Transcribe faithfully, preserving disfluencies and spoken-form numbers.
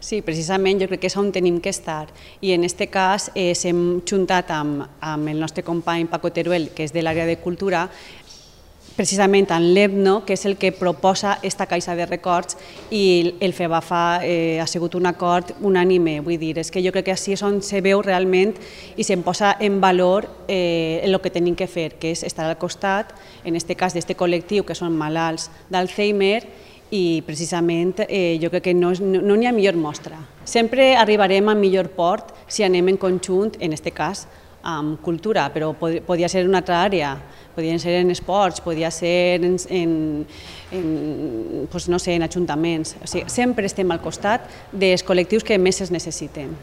Sí, precisament jo crec que és on tenim que estar i en aquest cas eh, s'hem juntat amb, amb el nostre company Paco Teruel, que és de l'àrea de cultura, precisament en l'EBNO, que és el que proposa aquesta caixa de records, i el FEBAFA eh, ha sigut un acord unànime. Vull dir, és que jo crec que així és on se veu realment i se'n posa en valor eh, el que tenim que fer, que és estar al costat, en aquest cas d'aquest col·lectiu que són malalts d'Alzheimer, i precisament eh, jo crec que no n'hi no, no ha millor mostra. Sempre arribarem a millor port si anem en conjunt, en aquest cas, amb cultura, però pod podia ser en una altra àrea, podien ser en esports, podia ser en, en, en, doncs no sé, en ajuntaments. O sigui, sempre estem al costat dels col·lectius que més es necessiten.